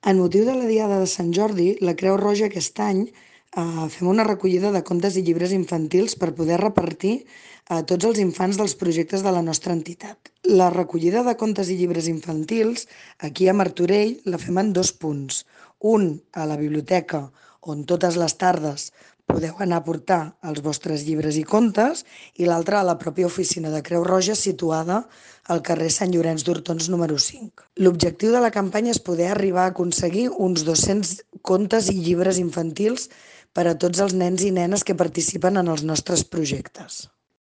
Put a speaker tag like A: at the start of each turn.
A: En motiu de la Diada de Sant Jordi, la Creu Roja aquest any fem una recollida de contes i llibres infantils per poder repartir a tots els infants dels projectes de la nostra entitat. La recollida de contes i llibres infantils aquí a Martorell la fem en 2 punts. Un a la biblioteca, on totes les tardes podeu anar a portar els vostres llibres i contes, i l'altre a la pròpia oficina de Creu Roja situada al carrer Sant Llorenç d'Hortons número 5. L'objectiu de la campanya és poder arribar a aconseguir uns 200 contes i llibres infantils per a tots els nens i nenes que participen en els nostres projectes.